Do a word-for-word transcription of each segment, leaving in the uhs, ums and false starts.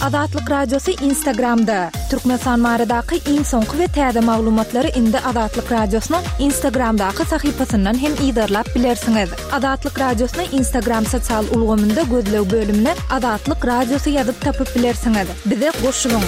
Azatlyk Radiosy Instagramda. Türkmenistan baradaky iň soňky we täze maglumatlary indi Azatlyk Radiosynyň Instagramdaky sahypasyndan hem yzarlap bilersiňiz. Azatlyk Radiosyny Instagram sosial ulgamynda gözleg bölümine Azatlyk Radiosy ýazyp tapyp bilersiňiz. Bize goşulyň.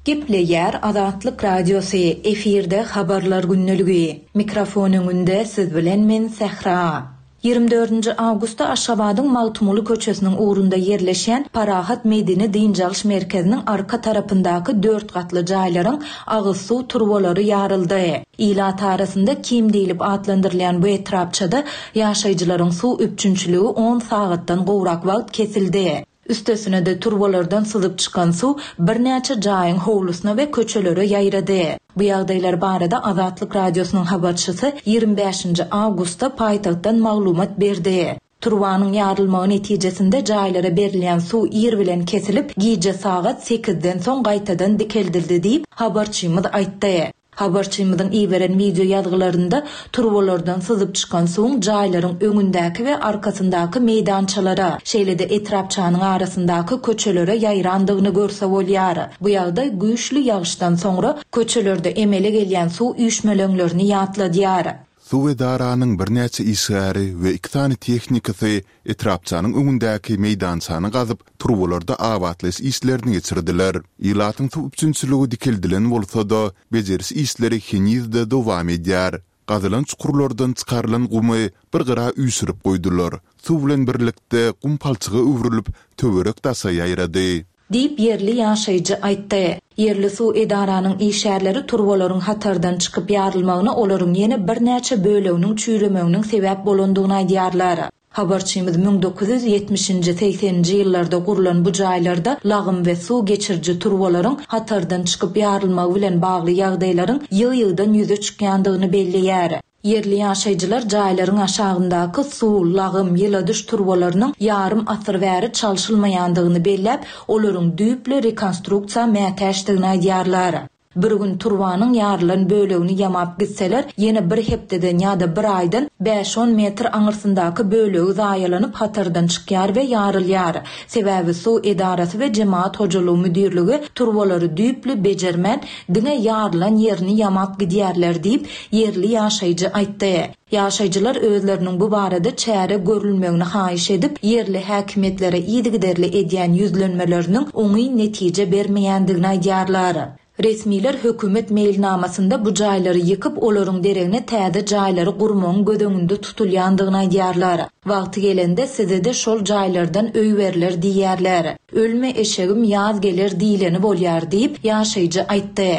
Gepleýär Azatlyk Radiosy, efirde Habarlar gündeligi. Mikrofon öňünde siz bilen men Sähra. Ýigrimi dördünji awgustda Aşgabadyň Magtymguly köçesiniň ugrunda ýerleşýän Parahat medeni dynç alyş merkeziniň arka tarapyndaky dört gatly jaýlaryň agyz suw turbalary ýaryldy. Ilat arasynda Kim diýlip atlandyrylýan bu etrapçada ýaşaýjylaryň suw üpjünçiligi on sagatdan gowrak wagt kesildi. Üstesine-de, turbalardan syzyp çykan suw birnäçe jaýyň howlusyna we köçelere ýaýrady. Bu ýagdaýlar barada Azatlyk Radiosynyň habarçysy ýigrimi bäşinji awgustda paýtagtdan maglumat berdi. Turbanyň ýarylmagy netijesinde jaýlara berilýän suw ir bilen kesilip, gije sagat sekizden soň gaýtadan dikeldildi diýip, habarçymyz aýtdy. Habarçymyzyň iberen wideo ýazgylarynda turbalardan syzyp çykan suwuň jaýlaryň öňündäki we arkasyndaky meýdançalara, şeýle-de etrapçanyň arasyndaky köçelere ýaýrandygyny görse bolýar. Bu ýagdaý güýçli ýagyşdan soňra köçelerde emele gelýän suw üýşmeleňlerini ýatladýar. Suw edaranyň birnäçe işgäri we iki sany tehnikasy etrapçanyň öňündäki meýdançany gazyp, turbalarda abatlaýyş işlerini geçirdiler. Ilatyň suw üpjünçiligi dikeldilen bolsa-da, bejeriş işleri heniz-de dowam edýär. Gazylan çukurlardan çykarylan gumy bir gyra üýşürip goýdular. Suw bilen birlikde gum palçyga öwrülip, töwerek-daşa ýaýrady. Diýip, ýerli ýaşaýjy aýtdy. Ýerli suw edaranyň işgärleri turbalaryň hatardan çykyp ýarylmagyna olaryň ýene birnäçe böleginiň çüýremeginiň sebäp bolandygyny aýdýarlar. Habarçymyz müň dokuz ýüz ýetmişinji, segseninji ýyllarda gurlan bu jaýlarda lagym we suw geçiriji turbalaryň hatardan çykyp ýarylmagy bilen bagly ýagdaýlaryň ýygy-ýygydan ýüze çykýandygyny belleýär. Ýerli ýaşaýjylar jaýlaryň aşagyndaky suw, lagym, ýyladyş turbalarynyň ýarym asyr bäri çalşylmaýandygyny belläp, olaryň düýpli rekonstruksiýa mätäçdigini aýdýarlar. Bir gün turbanyň ýarylan bölegini ýamap gitseler, ýene bir hepdeden ýa-da bir aýdan bäş-on metr aňyrsyndaky bölegi zaýalanyp hatardan çykýar we ýarylýar. Sebäbi suw edarasy we jemagat hojalygy müdirligi turbalary düýpli bejermän, diňe ýarylan ýerini ýamap gidýärler diýip, ýerli ýaşaýjy aýtdy. Ýaşaýjylar özleriniň bu barada çäre görülmegini haýyş edip, ýerli häkimiýetlere yzygiderli edýän ýüzlenmeleriniň oňyn netije bermeýändigini aýdýarlar. Resmiler hökümet meýilnamasynda bu jaýlary ýykyp, olaryň deregine täze jaýlary gurmagyň göz öňünde tutulýandygyny aýdýarlar. Wagty gelende size-de şol jaýlardan öý berler diýýärler. Ölme eşegim ýaz geler diýleni bolýar diýip, ýaşaýjy aýtdy.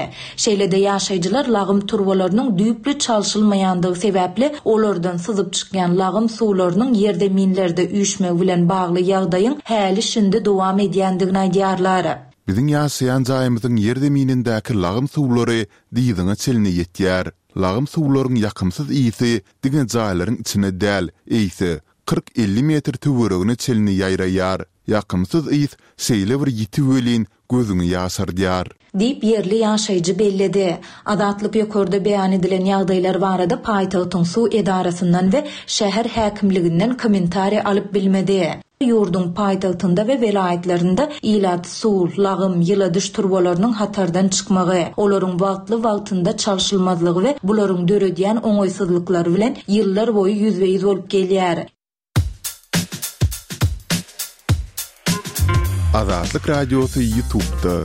Şeýle-de ýaşaýjylar lagym turbalarynyň düýpli çalşylmaýandygy sebäpli olardan syzyp çykýan lagym suwlarynyň ýerzeminlerde üýşmegi bilen bagly ýagdaýyň häli-şindi dowam edýändigini aýdýarlar. Biziň ýaşaýan jaýymyzyň ýerzeminindäki lagym suwlary dyzyňa çenli ýetýär. Lagym suwlaryň ýakymsyz ysy diňe jaýlaryň içine däl, eýse, kyrk-elli metr töweregine çenli ýaýraýar. Ýakymsyz ys şeýle bir ýiti welin, gözüňi ýaşardýar. Diýip, ýerli ýaşaýjy belledi. Azatlyk ýokarda beýan edilen ýagdaýlar barada paýtagtyň suw edarasyndan we şäher häkimliginden kommentariý alyp bilmedi. Ýurduň paýtagtynda we welaýatlarynda ilat suw, lagym, ýyladyş turbalarynyň hatardan çykmagy, olaryň wagtly-wagtynda çalşylmazlygy we bularyň döredýän oňaýsyzlyklary bilen ýyllar boýy ýüzbe-ýüz bolup gelýär. Azatlyk Radiosy YouTube'da.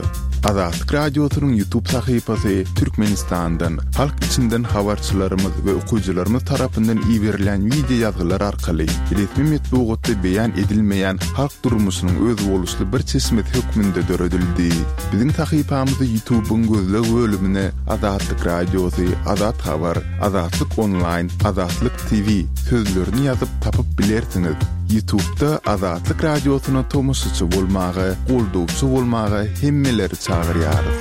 Azatlyk Radiosynyň YouTube sahypasy Türkmenistandan, halk içinden habarçylarymyz we okyjylarymyz tarapyndan iberilýän wideo ýazgylar arkaly resmi metbugatda beýan edilmeýän halk durmuşynyň özboluşly bir çeşmesi hökmünde döredildi. Biziň sahypamyzy YouTube-yň gözleg bölümine Azatlyk Radiosy, Azat Habar, Azatlyk Onlaýn, Azatlyk T V sözlerini ýazyp tapyp bilersiňiz. YouTube'da Azatlyk Radiosyna tomaşaçy bolmaga, goldawçy bolmaga hemmeleri çagyrýarys.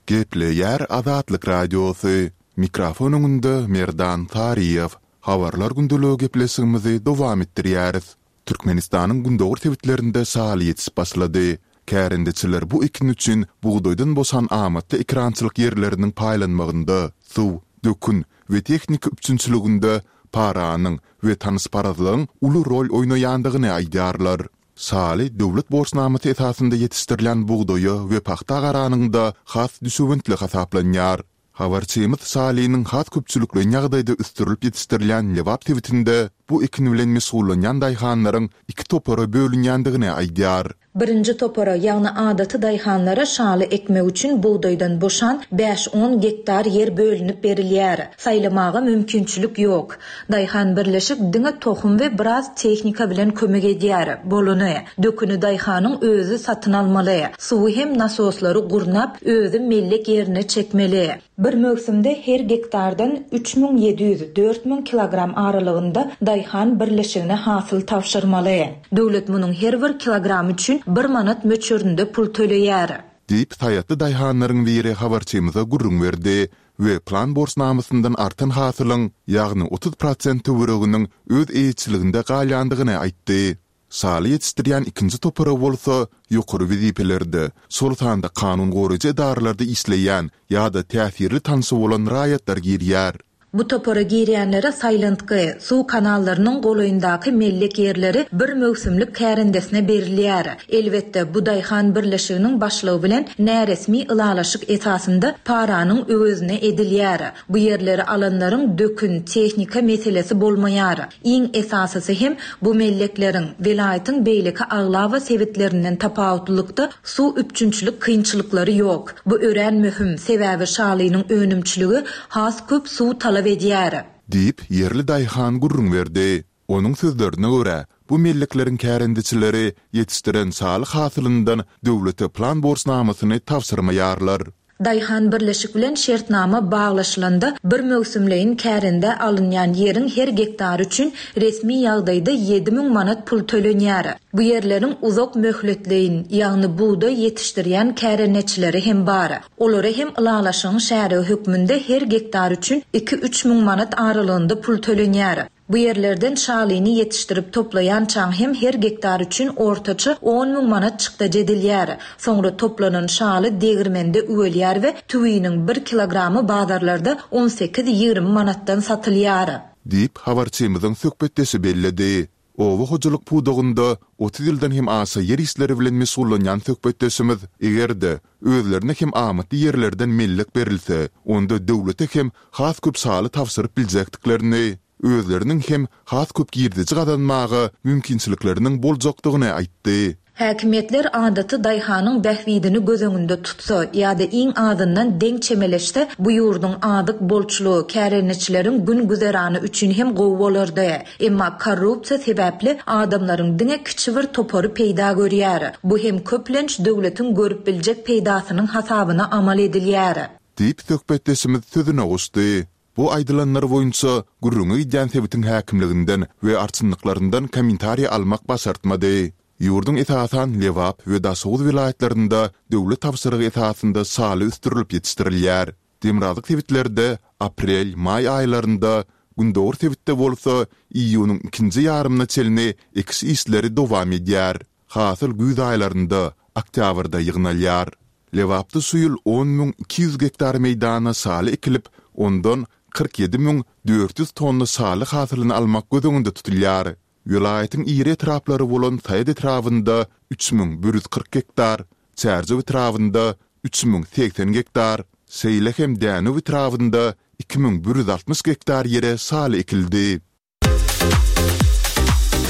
Gepleýär Azatlyk Radiosy. Mikrofon öňünde Merdan Saryýew. Habarlar gündeligi gepleşigimizi dowam etdirýäris. Türkmenistanyň gündogar sebitlerinde şaly ýetişip başlady. Kärendeçiler bu ekin üçin bugdaýdan boşan amatly ekerançylyk ýerleriniň paýlanmagynda, suw, dökün we tehnika üpjünçiliginde paranyň we tanyşparazlygyň uly rol oýnaýandygyny aýdýarlar. Şaly döwlet borçnamasy esasynda ýetişdirilýän bugdaýa we pagta garanyňda has düşewüntli hasaplanýar. Habarçymyz şalynyň has köpçülikleýin ýagdaýda ösdürilip ýetişdirilýän Lebap sebitinde bu ekin bilen meşgullanýan daýhanlaryň iki topara bölünýändigini aýdýar. Birinji topara, ýagny adaty daýhanlara şaly ekmek üçin bugdaýdan boşan bäş-on gektar ýer bölünip berilýär. Saýlamaga mümkinçilik ýok. Daýhan birleşik diňe tohum we biraz tehnika bilen kömek edýär. Bolany. Döküni daýhanyň özi satyn almaly. Suwy hem nasoslary gurnap, özi mellek ýerine çekmeli. Bir möwsümde her gektardan üç müň ýedi ýüz, dört müň kilogram aralygynda daýhan birleşigine hasyl tabşyrmaly. Döwlet munuň her bir kilogramy üçin bir manat möçberinde pul töleýär. Diýip, saýatly daýhanlaryň biri habarçymyza gürrüň berdi we plan borçnamasyndan artan hasylyň, ýagny otuz prosent töwereginiň öz eýeçiliginde galýandygyny aýtdy. Şaly ýetişdirýän ikinji topara bolsa ýokary wezipelerde, şol sanda kanun goraýjy edaralarda işleýän ýa-da täsirli tanşy bolan raýatlar girýär. Bu topara girýänlere saýlantgy, suw kanallarynyň golaýyndaky mellek ýerleri bir möwsümlik kärendesine berilýär. Elbetde, bu daýhan birleşiginiň başlygy bilen näresmi ylalaşyk esasynda paranyň öwezine edilýär. Bu ýerleri alanlaryň dökün, tehnika meselesi bolmaýar. Iň esasysy hem bu mellekleriň, welaýatyň beýleki aglaba sebitlerinden tapawutlylykda suw üpjünçilik kynçylyklary ýok. Bu örän möhüm, sebäbi şalynyň önümçiligi has köp suw talap edýär. Diýip, ýerli daýhan gürrüň berdi. Onuň sözlerine görä, bu mellekleriň kärendeçileri ýetişdiren şaly hasylyndan döwlete plan borçnamasyny tabşyrmaýarlar. Daýhan birleşik bilen şertnama baglaşylanda bir möwsümleýin kärendä alynýan ýeriň her gektary üçin resmi ýagdaýda ýedi müň manat pul tölenýär. Bu ýerleriň uzak möhletleýin, ýagny bugdaý ýetişdirýän kärendeçileri hem bar. Olara hem ylalaşygyň şärigi hökmünde her gektar üçin iki-üç müň manat aralygynda pul tölenýär. Bu ýerlerden şalyny ýetişdirip toplaýançaň hem her gektar üçin ortaça on müň manat çykdajy edilýär. Soňra toplanan şaly degirmende üwelýär we tüwiniň bir kilogramy bazarlarda on sekiz-ýigrimi manatdan satylýar. Diýip, habarçymyzyň söhbetdeşi belledi. Oba hojalyk pudagynda otuz ýyldan hem aşa ýer işleri bilen meşgullanýan söhbetdeşimiz, eger-de özlerine hem amatly ýerlerden mellek berilse, onda döwlete hem has köp şaly tabşyryp biljekdiklerini, özleriniň hem has köp girdeji gazanmaga mümkinçilikleriniň boljakdygyny aýtdy. Häkimiýetler adaty daýhanyň bähbidini göz öňünde tutsa ýa-da iň azyndan deň çemeleşse, bu ýurduň azyk bolçulygy, kärendeçileriň gün güzerany üçin hem gowy bolardy. Emma korrupsiýa sebäpli adamlaryň diňe kiçi bir topary peýda görýär. Bu hem köplenç döwletiň görüp biljek peýdasynyň hasabyna amal edilýär. Diýip, söhbetdeşimiz sözüne goşdy. Bu aýdylanlar boýunça gürrüňi gidýän sebitiň häkimliginden we arçynlyklaryndan kommentariý almak başartmady. Ýurduň esasan Lebap we Daşoguz welaýatlarynda döwlet tabşyrygy esasynda şaly ösdürilip ýetişdirilýär. Demirgazyk sebitlerde aprel, maý aýlarynda, gündogar sebitde bolsa iýunyň ikinji ýarymyna çenli ekiş işleri dowam edýär. Hasyl güýz aýlarynda, oktýabrda ýygnalýar. Lebapda şu ýyl on müň iki ýüz gektar meýdana şaly ekilip, ondan kyrk ýedi müň dört ýüz tonna şaly hasylyny almak göz öňünde tutulýar. Welaýatyň iri etraplary bolan Saýat etrabynda üç müň bir ýüz kyrk gektar, Çärjew etrabynda üç müň segsen gektar, şeýle hem Dänew etrabynda iki müň bir ýüz altmyş gektar ýere şaly ekildi.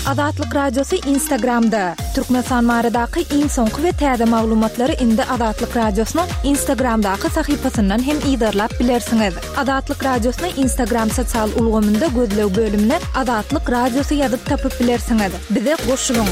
Azatlyk Radiosy Instagramda. Türkmenistan baradaky iň soňky we täze maglumatlary indi Azatlyk Radiosynyň Instagramdaky sahypasyndan hem yzarlap bilersiňiz. Azatlyk Radiosyny Instagram sosial ulgamynda gözleg bölümine Azatlyk Radiosy ýazyp tapyp bilersiňiz. Bize goşulyň.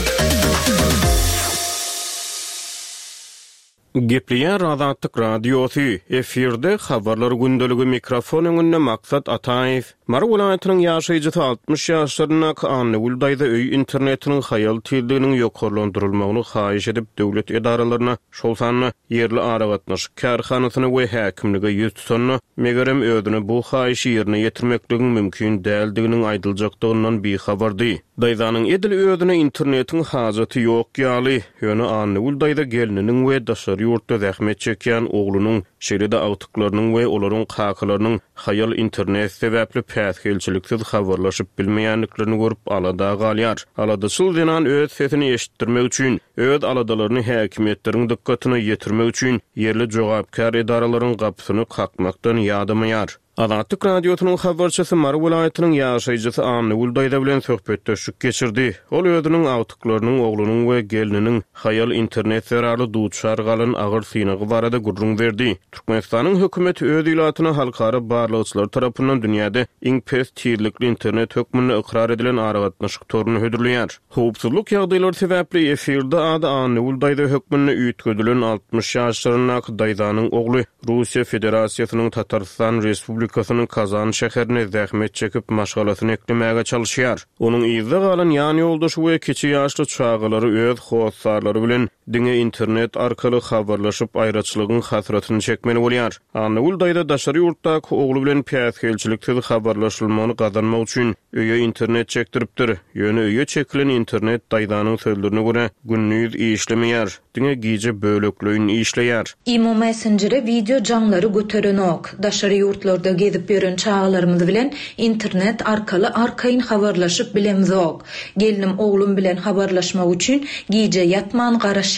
Gepleýär Azatlyk Radiosy, efirde habarlar gündeligi, mikrofon öňünde Maksat Ataýew. Mary welaýatynyň ýaşaýjysy altmyş ýaşlaryndaky Annagül daýza öý internetiniň haýal tizliginiň ýokarlandyrylmagyny haýyş edip, döwlet edaralaryna, şol sanda ýerli aragatnaşyk kärhanasyna we häkimlige ýüz tutanda, megerem özüne bu haýyşy ýerine ýetirmekligiň mümkin däldiginiň aýdyljakdygyndan bihabardy. Daýzanyň edil özüne internetiň hajaty ýok ýaly, ýöne Annagül daýza gelniniň we daşary daşary ýurtda zähmet çekýän oglunyň, şeýle-de agtyklarynyň we olaryň kakalarynyň haýal internet sebäpli päsgelçiliksiz habarlaşyp bilmeýändiklerini görüp alada galýar. Aladaçyl zenan öz sesini eşitdirmek üçin, öz aladalaryny häkimiýetleriň dykgatyna ýetirmek üçin ýerli jogapkär edaralaryň gapysyny kakmakdan ýadamaýar. Azatlyk Radiosynyň habarçysy Mary welaýatynyň ýaşaýjysy Annagül daýza bilen söhbetdeşlik geçirdi. Ol özüniň agtyklarynyň, oglunyň we gelniniň haýal internet zerarly duçar galan agyr synagy barada gürrüň berdi. Türkmenistanyň hökümeti öz ilatyna halkara barlagçylary tarapyndan dünýäde iň pes tizlikli internet hökmünde ykrar edilen aragatnaşyk toruny hödürleýär. Howpsuzlyk ýagdaýlary sebäpli efirde ady Annagül daýza hökmünde üýtgedilen altmyş ýaşlaryndaky daýzanyň ogly Russiýa Federasiýasynyň Tatarystan Respublikasynyň Kazan şäherine zähmet çekip maşgalasyny eklemäge çalışýar. Onuň yzda galan ýan ýoldaşy we kiçi ýaşly çagalary öz hossarlary bilen diňe internet arkaly habarlaşyp aýraçylygyň hasratyny çekmeli bolýar. Annagül daýza daşary ýurtdaky ogly bilen päsgelçiliksiz habarlaşylmagyny gazanmak üçin öýe internet çekdiripdir. Ýöne öýe çekilen internet daýzanyň sözlerine görä gündiz işlemeýär, diňe gije bölekleýin işleýär. Imo Messenger'e wideo jaňlary göterenok. Daşary ýurtlarda gezip ýören çagalarymyz bilen internet arkaly arkaýyn habarlaşyp bilemzok. Gelnim oglum bilen habarlaşmak üçin gije ýatman garaşýar.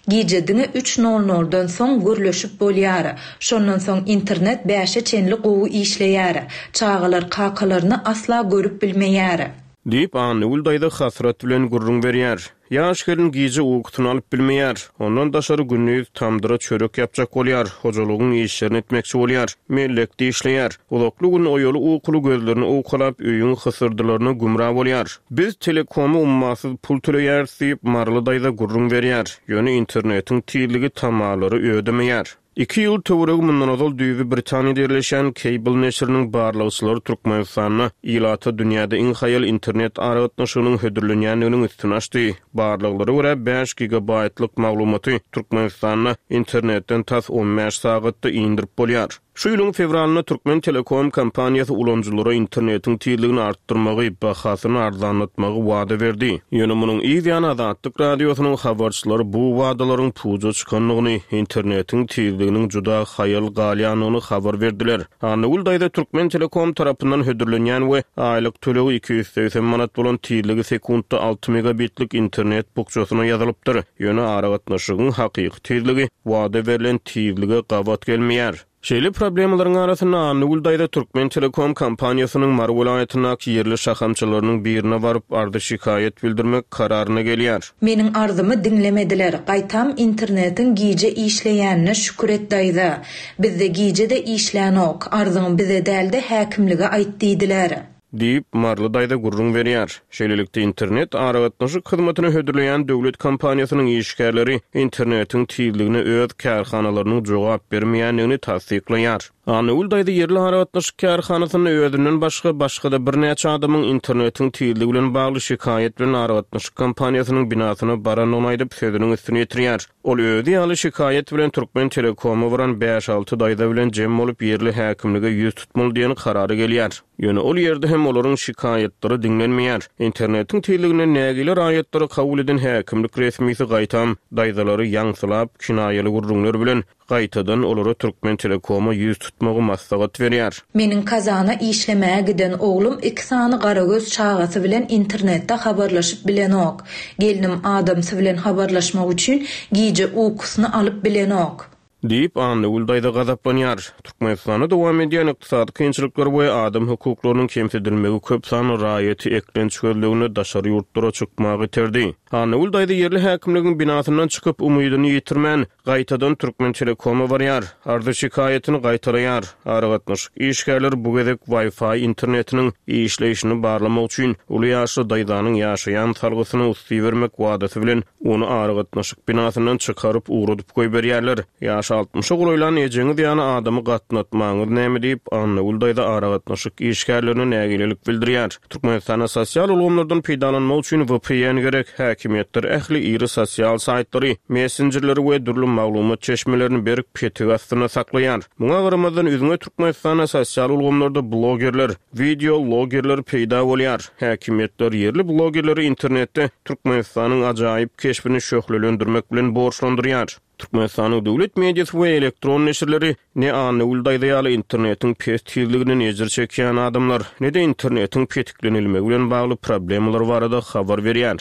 Gije diňe üç nol noldan soň gürleşip bolýar. Şondan soň internet bäşe çenli gowy işleýär. Çagalar kakalaryny asla görüp bilmeýär. Diýip Annagül daýza hasrat bilen gürrüň berýär. Ýaş gelin gije ukusyny alyp bilmeýär. Ondan daşary gündiz tamdyra çörek ýapjak bolýar, hojalygyň işlerini etmekçi bolýar, mellekde işleýär. Uzakly gün oýaly ukuly gözlerini owkalap öýüň hysyrdylaryna gümra bolýar. Biz telekomy ummasyz pul töleýäris diýip Maryly daýza gürrüň berýär. Ýöne internetiň tizligi tamalary ödemeýär. Iki ýyl töweregi mundan ozal düýbi Britaniýada ýerleşen Cable neşiriniň barlagçylary Türkmenistanda ilata dünýäde iň haýal internet aragatnaşygynyň hödürlenýändiginiň üstüni açdy. Barlaglara görä bäş gigabaytlyk maglumaty Türkmenistanda internetden tas on bäş sagatda indirip bolýar. Şu ýylyň fewralynda Türkmen Telekom kompaniýasy ulanyjylara internetiň tizligini artdyrmagy, bahasyny arzanlatmagy wada berdi. Ýöne munuň yz ýany Azatlyk Radiosynyň habarçylary bu wadalaryň puja çykandygyny, internetiň tizliginiň juda haýal galýandygyny habar berdiler. Annagül daýza Türkmen Telekom tarapyndan hödürlenýän we aýlyk tölegi iki ýüz segsen manat bolan tizligi sekuntda alty megabitlik internet bukjasyna ýazylypdyr. Ýöne aragatnaşygyň hakyky tizligi wada berlen tizlige gabat gelmeýär. Şeýle problemalaryň arasynda Annagül daýza Türkmen Telekom kompaniýasynyň Mary welaýatyndaky ýerli şahamçalarynyň birine baryp ardy şikaýat bildirmek kararyna gelýär. Meniň arzymy diňlemediler. Gaýtam internetiň gije işleýänine şükür et daýza. Bizde gije de işlänok. Arzyň bize dälde häkimlige aýt diýdiler. Diýip Maryly daýza gürrüň berýär. Şeýlelikde internet aragatnaşyk hyzmatyny hödürleýän döwlet kompaniýasynyň işgärleri internetiň tizligine öz kärhanalarynyň jogap bermeýändigini tassyklaýar. Annagül daýza ýerli aragatnaşyk kärhanasynda özünden başga başga-da birnäçe adamyň internetiň tizligi bilen bagly şikaýat bilen aragatnaşyk kompaniýasynyň binasyna barandygyny aýdyp sözüniň üstüne ýetirýär. Ol özi ýaly şikaýat bilen Türkmen Telekoma baran bäş alty daýza bilen jem bolup ýerli häkimlige ýüz tutmaly diýen karara gelýär. Ýöne ol ýerde hem olaryň şikaýatlary diňlenmeýär. Internetiň tizliginden nägile raýatlary kabul eden häkimlik resmisi gaýtam daýzalary ýaňsylap kinaýaly gürrüňler bilen gaýtadan olara Türkmen Telekoma ýüz tutmagy maslahat berýär. Meniň Kazana işlemäge giden oglum iki sany garagöz çagasy bilen internetde habarlaşyp bilenok. Gelnim adamsy bilen habarlaşmak üçin gije ukusyny alyp bilenok. Diýip Annagül daýza gazaplanýar. Türkmenistanda dowam edýän ykdysady kynçylyklar we adam hukuklarynyň kemsidilmegi köp sanly raýaty eklenç gözleginde daşary ýurtlara çykmagy iterdi. Annagül daýza ýerli häkimligiň binasyndan çykyp umydyny ýitirmän gaýtadan Türkmen Telekoma barýar. Arzy şikaýatyny gaýtalaýar. Aragatnaşyk işgärleri bu gezek Wi-Fi internetiniň işleýşini barlamak üçin uly ýaşly daýzanyň ýaşaýan salgysyny usty bermek wadasy bilen ony aragatnaşyk binasyndan çykaryp ugradyp goýberýärler. Ýaş altmyşa golaýlan ejeňiz ýany adamy gatnatmaňyz näme diýip Annagül daýza aragatnaşyk işgärlerine nägilelik bildirýär. Türkmenistanda sosial ulgamlardan peýdalanmak üçin V P N gerek. Häkimiýetler ähli iri sosial saýtlary, messenjerleri we dürli maglumat çeşmelerini berk petik astynda saklaýar. Muňa garamazdan üzňe Türkmenistanda sosial ulgamlarda blogerler, video blogerler peýda bolýar. Häkimiýetler ýerli blogerleri internetde Türkmenistanyň ajaýyp keşbini şöhlelendirmek bilen borçlandyrýar. Türkmenistanyň döwlet mediasy we elektron neşirleri ne Annagül daýza ýaly internetiň pes tizliginden ejir çekýän adamlar, ne-de internetiň petiklenilmegi bilen bagly problemalar barada habar berýär.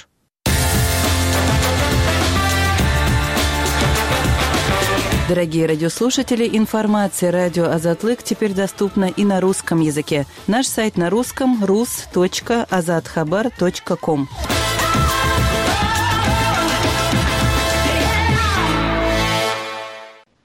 Дорогие радиослушатели, информация радио Азатлык теперь доступна и на русском языке. Наш сайт на русском rus.azathabar.com.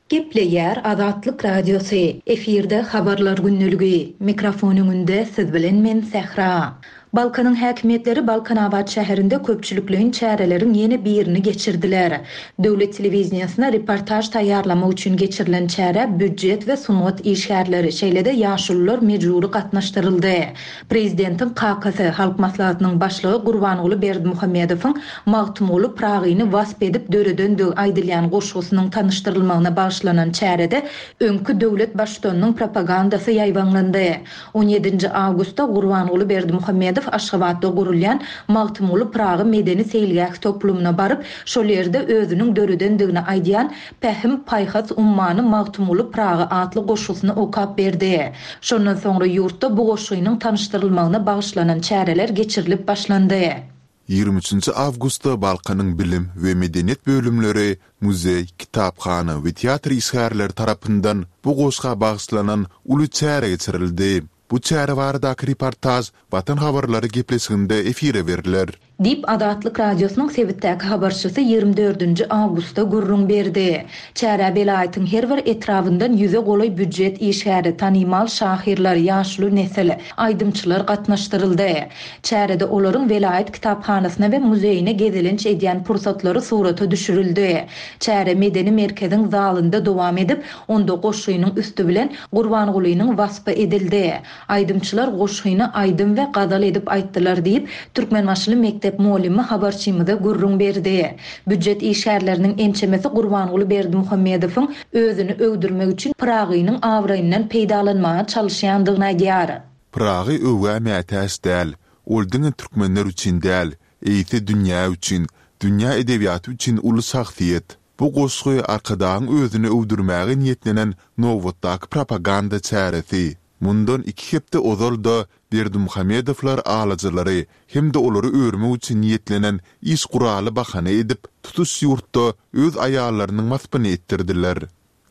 Gepleýär Azatlyk Radiosy. Efirde habarlar günlügi. Mikrofon öňünde siz bilen men Sähra. Balkanyň häkimiýetleri Balkanabat şäherinde köpçülikleýin çäreleriň ýene birini geçirdiler. Döwlet telewizýasyna reportaž taýýarlamak üçin geçirilen çäre býujet we sungat işgärleri, şeýle-de ýaşulular mejbury gatnaşdyryldy. Prezidentiň kakasy, Halk Maslahatynyň başlygy Gurbanguly Berdimuhamedowyň Magtymguly Pyragyny wasp edip döredendigi aýdylýan goşgusynyň tanyşdyrylmagyna bagyşlanan çärede öňki döwlet baştutanynyň propagandasy ýaýbaňlandy. On ýedinji awgustda Gurbanguly Berdimuhamedow Aşgabatda gurulýan Magtymguly Pyragy medeni seýilgäh toplumyna baryp, şol ýerde özüniň döredendigini aýdýan Pähim paýhas ummany Magtymguly Pyragy atly goşgusyny okap berdi. Şondan soňra ýurtda bu goşgynyň tanyşdyrylmagyna bagyşlanan çäreler geçirilip başlandy. Ýigrimi üçünji awgustda Balkanyň bilim we medeniýet bölümleri, muzeý, kitaphana we teatr işgärleri tarapyndan bu goşga bagyşlanan uly çäre geçirildi. Bu çäre baradaky reportaž Watan habarlary gepleşiginde efire berler. Diýip, Azatlyk Radiosynyň sebitdäki habarçysy ýigrimi dördünji awgustda gürrüň berdi. Çärä welaýatyň her bir etrabyndan ýüze golaý býujet işgäri, tanymal şahyrlar, ýaşuly nesil, aýdymçylar gatnaşdyryldy. Çärede olaryň welaýat kitaphanasyna we muzeýine gezelenç edýän pursatlary surata düşürildi. Çäre medeni merkeziň zalynda dowam edip, onda goşgynyň üsti bilen Gurbangulynyň waspy edildi. Aýdymçylar goşgyny aýdym we gazal edip aýtdylar diýip, Türkmenbaşyly mekdep mugallymy habarçymyza gürrüň berdi. Býujet işgärleriniň ençemesi Gurbanguly Berdimuhamedowyň özüni öwdürmek üçin Pyragynyň abraýyndan peýdalanmaga çalyşýandygyny aýdýar. Pyragy öwgä mätäç däl. Ol diňe türkmenler üçin däl, eýse dünýä üçin, dünýä edebiýaty üçin uly şahsyýet. Bu goşgy Arkadagyň özüni öwdürmäge niýetlenen nobatdaky propaganda çäresi. Mundan iki hepde ozal-da Berdimuhamedowlar alyjylary hem-de olary örmek üçin niýetlenen iş guraly bahana edip, tutuş ýurtda öz aýallarynyň waspyny etdirdiler.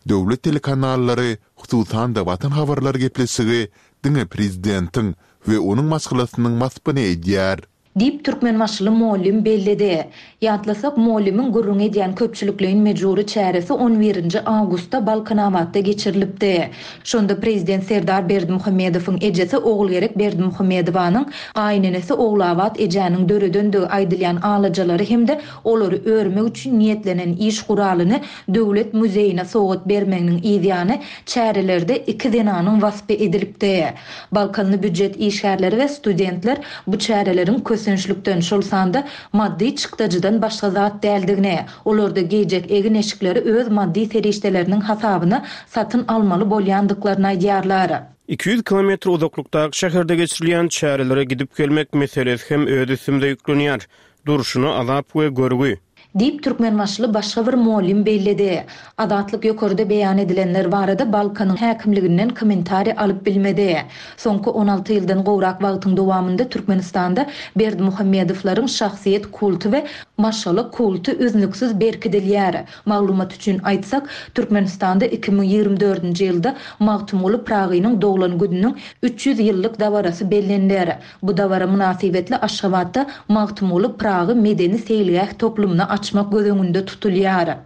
Döwlet telekanallary, hususan-da Watan habarlary gepleşigi diňe prezidentiň we onuň maşgalasynyň waspyny edýär. Diýip, türkmenbaşyly mugallym belledi. Ýatlasak, mugallymyň gürrüň edýän köpçülikleýin mejbury çäresi on birinji awgustda Balkanabatda geçirilipdi. Şonda prezident Serdar Berdimuhamedowyň ejesi Ogulgerek Berdimuhamedowanyň gaýynenesi Ogulabat ejäniň döredendigi aýdylýan alajalary hem-de olary örmek üçin niýetlenen iş guralyny Döwlet muzeýine sowgat bermeginiň yzýany çärelerde iki zenanyň waspy edilipdi. Balkanly býujet işgärleri we studentler bu çäreleriň kösençlikden, şol sanda maddy çykdajydan başga zat däldigini, olarda geýjek egin-eşikleri öz maddy serişdeleriniň hasabyna satyn almaly bolýandyklaryny aýdýarlar. Iki ýüz kilometr uzaklykdaky şäherde geçirilýän çärelere gidip gelmek meselesi hem öz üstümize ýüklenýär. Durşuna azap we görgi. Diýip, türkmenbaşyly başga bir mugallym belledi. Azatlyk ýokarda beýan edilenler barada Balkanyň häkimliginden kommentariý alyp bilmedi. Soňky on alty ýyldan gowrak wagtyň dowamynda Türkmenistanda Berdimuhamedowlaryň şahsyýet kulty we maşgala kulty üznüksiz berkidilýär. Maglumat üçin aýtsak, Türkmenistanda iki müň ýigrimi dördünji ýylda Magtymguly Pyragynyň doglan gününiň üç ýüz ýyllyk dabarasy belleniler. Bu dabara mynasybetli Aşgabatda Magtymguly Pyragy medeni seýilgäh toplumyny açmak göz öňünde tutulýar.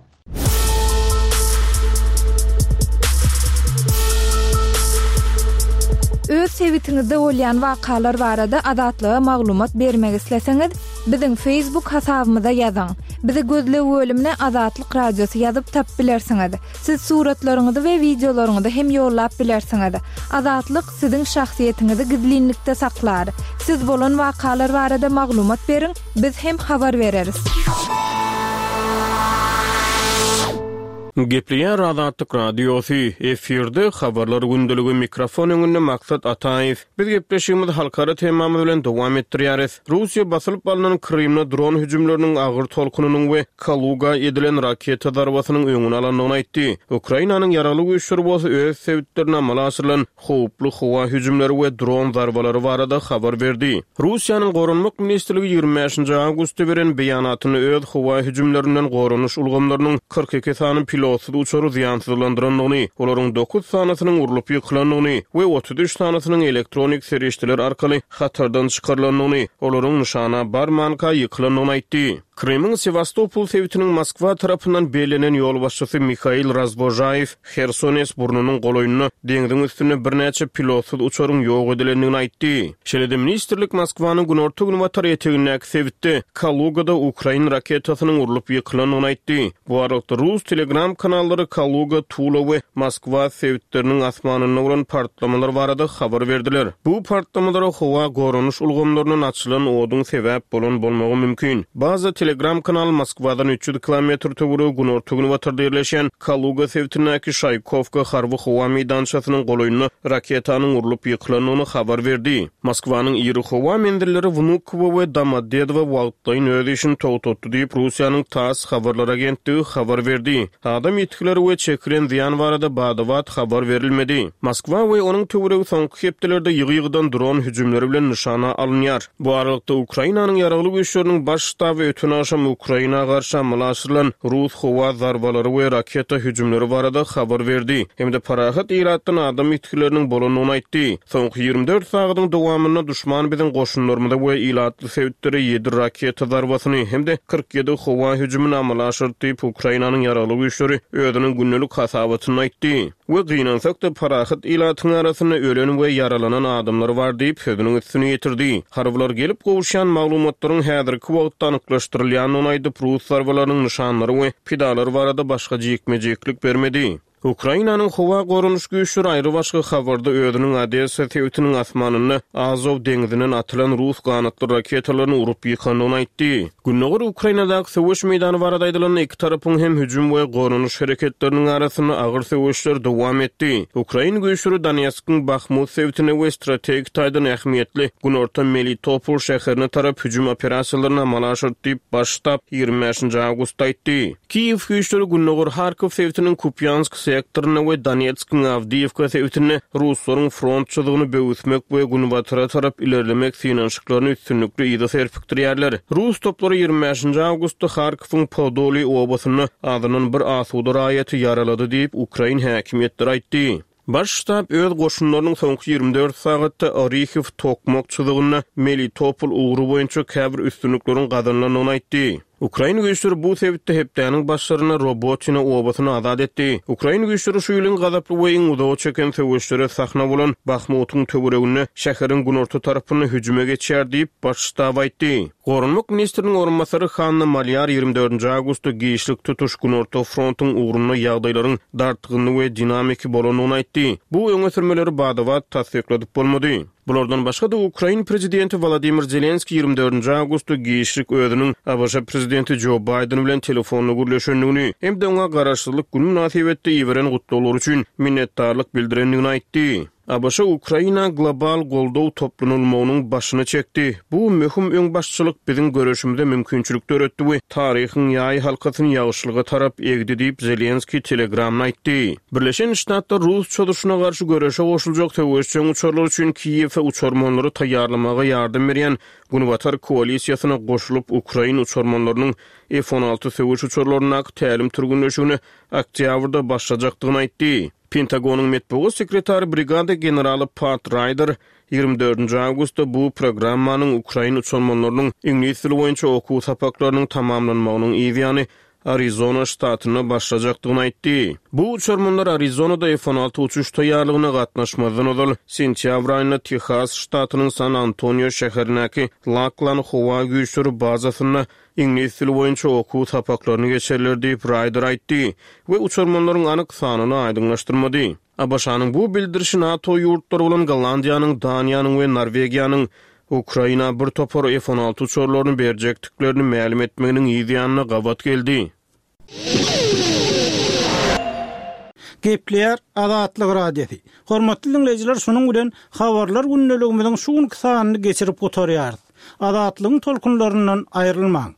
Öz sebitiňizde bolýan wakalar barada Azatlyga maglumat bermek isleseňiz, biziň Facebook hasabymyza ýazyň. Bizi gözleg bölümine Azatlyk Radiosy ýazyp tap bilersiňiz. Siz suratlaryňyzy we wideolaryňyzy hem ýollap bilersiňiz. Azatlyk siziň şahsyýetiňizi gizlinlikde saklar. Siz bolan wakalar barada maglumat beriň, biz hem habar bereris. Gepleýär Azatlyk Radiosy, efirde Habarlar gündeligi, mikrofon öňünde Maksat Ataýew. Biz gepleşigimizi halkara temamyz bilen dowam etdirýäris. Russiýa basylyp alnan Krymda dron hüjümleriniň agyr tolkunynyň we Kaluga edilen raketa zarbasynyň öňüni alandygyny aýtdy. Ukrainanyň Ýaragly Güýçleri bolsa öz sebitlerinde amala aşyrylan howply howa hüjümleri we dron zarbalary barada habar berdi. Russiýanyň Goranmak ministrligi ýigrimi bäşinji awgustda beren beýanatynda öz howa hüjümlerinden goranyş ulgamlarynyň kyrk iki sany pilotsyz uçary zyýansyzlandyrandygyny, olaryň dokuz sanysynyň urlup ýykylandygyny we otuz üç sanysynyň elektronik serişdeler arkaly hatardan çykarylandygyny, olaryň nyşana barmanka ýykylandygyny aýtdy. Krymyň Sewastopol sebitiniň Moskwa tarapyndan bellenen ýolbaşçysy Mihail Razwožaýew Hersones burnunyň golaýynda deňziň üstünde birnäçe pilotsyz uçaryň ýok edilendigini aýtdy. Şeýle-de ministrlik Moskwanyň günorta-günbatar etegindäki sebitde Kalugada ukrain raketasynyň urlup ýykylandygyny aýtdy. Bu aralykda, rus Telegram kanallary Kaluga, Tula we Moskwa sebitleriniň asmanynda bolan partlamalar barada habar berdiler. Bu partlamalara howa goranyş ulgamlaryndan açylan oduň sebäp bolan bolmagy mümkin. Baza Telegram kanaly Moskwadan üç ýüz kilometr töweregi günorta-günbatarda ýerleşýän Kaluga sebitindäki Şaýkowka harby howa meýdançasynyň golaýynda raketanyň urlup ýykylandygyny habar berdi. Moskwanyň iri howa menzilleri Wnukowo we Domodedowo wagtlaýyn öz işini togtatdy diýip, Russiýanyň TASS habarlar agentligi habar berdi. Adam ýitgileri we çekilen zyýan barada bada-bat habar berilmedi. Moskwa we onuň töweregi soňky hepdelerde ýygy-ýygydan dron hüjümleri bilen nyşana alynýar. Bu aralykda, Ukrainanyň Ýaragly Güýçleriniň Baş ştaby öten agşam Ukraina garşy amala aşyrylan rus howa zarbalary we raketa hüjümleri barada habar berdi hem-de parahat ilatdan adam ýitgileriniň bolandygyny aýtdy. Soňky ýigrimi dört sagadyň dowamynda duşman biziň goşunlarymyza we ilatly sebitlere ýedi raketa zarbasyny hem-de kyrk ýedi howa hüjümini amala aşyrdy diýip, Ukrainanyň Ýaragly Güýçleri özüniň gündelik hasabatynda aýtdy. We gynansak-da, parahat ilatyň arasynda ölen we ýaralanan adamlar bar diýip, sözüniň üstüni ýetirdi. Harbylar gelip gowuşýan maglumatlaryň häzirki wagtda anyklaşdyrylýandygyny aýdyp, rus zarbalarynyň nyşanlary we pidalary barada başga jikme-jiklik bermedi. Ukrainanyň howa goranyş güýçleri aýrybaşga habarda özüniň Odessa sebitiniň asmanynda Azow deňzinden atylan rus ganatly raketalaryny urup ýykandygyny aýtdy. Gündogar Ukrainadaky söweş meýdany barada aýdylanda, iki tarapyň hem hüjüm we goranyş hereketleriniň arasynda agyr söweşler dowam etdi. Ukrain güýçleri Donetskiň Bahmut sebitine we strategik taýdan ähmiýetli günorta Melitopol şäherine tarap hüjüm operasiýalaryny amala aşyrdy diýip, Baş ştab ýigrimi bäşinji awgustda aýtdy. Kiýew güýçleri gündogar Harkow sebitiniň Kupýansk sektorynda we Donetskiň Awdiýewka sebitinde ruslaryň front çyzygyny böwüsmek we günbatara tarap ilerlemek synanyşyklaryny üstünlikli yza serpikdirýärler. Rus toplary ýigrimi bäşinji awgustda Harkowyň Podoliý obasynda azyndan bir asuda raýaty ýaralady diýip, ukrain häkimiýetleri aýtdy. Baş ştab öz goşunlarynyň soňky ýigrimi dört sagatda Orihiw-Tokmak çyzygynda Melitopol ugry boýunça käbir üstünlikleriň gazanylandygyny aýtdy. Ukrain güýçleri bu sebitde hepdäniň başlarynda Robotino obasyny azat etdi. Ukrain güýçleri şu ýylyň gazaply we iň uzaga çeken söweşlere sahna bolan Bahmutyň töwereginde şäheriň günorta tarapynda hüjüme geçýär diýip, Baş ştab aýtdy. Goranmak ministriniň orunbasary Hanna Malýar ýigrimi dördünji awgustda giçlik tutuş Günorta frontuň ugrunda ýagdaýlaryň dartgynly we dinamiki bolandygyny aýtdy. Bu öňe sürmeleri bada-bat tassykladyp bolmady. Bulardan başga-da, ukrain prezidenti Wolodymyr Zelenskiý ýigrimi dördünji awgustda giçlik özüniň ABŞ prezidenti Jo Baýden bilen telefonda gürleşendigini hem-de oňa Garaşsyzlyk güni mynasybetli iberen gutlaglary üçin minnetdarlyk bildirendigini aýtdy. ABŞ Ukraina global goldaw toplanylmagynyň başyny çekdi. Bu möhüm öňbaşçylyk biziň göreşimize mümkinçilik döretdi we taryhyň ýaý halkasyny ýagşylyga tarap egdi diýip, Zelenskiý Telegramda aýtdy. Birleşen Ştatlar rus çozuşyna garşy göreşe goşuljak söweşjeň uçarlar üçin Kiýewe uçarmanlary taýýarlamaga ýardam berýän Günbatar koalisiýasyna goşulyp, ukrain uçarmanlarynyň F on alty söweş uçarlaryndaky tälim-türgenleşigine oktýabrda başlajakdygyny aýtdy. Pentagonyň metbugat sekretary brigada generaly Pat Raýder ýigrimi dördünji awgustda bu programmanyň ukrain uçarmanlarynyň iňlis dili boýunça okuw sapaklarynyň tamamlanmagynyň yzýany Arizona ştatynda başlajakdygyny aýtdy. Bu uçarmanlar Arizonada F on alty uçuş taýýarlygyna gatnaşmazdan ozal, sentýabr aýynda Tehas ştatynyň San-Antonio şäherindäki Laklan howa güýçleri bazasynda iňlis dili boýunça okuw sapaklaryny geçerler diýip, Raýder aýtdy we uçarmanlaryň anyk sanyny aýdyňlaşdyrmady. ABŞ-nyň bu bildirişi NATO ýurtlary bolan Gollandiýanyň, Daniýanyň we Norwegiýanyň Ukraina bir topar F on alty uçarlaryny berjekdiklerini mälim etmeginiň yz ýanyna gabat geldi. Gepleýär Azatlyk Radiosy. Hormatly diňleýjiler, şunuň bilen habarlar gündeligimiziň şu günki sanyny geçirip gutarýarys. Azatlygyň tolkunlaryndan aýrylmaň.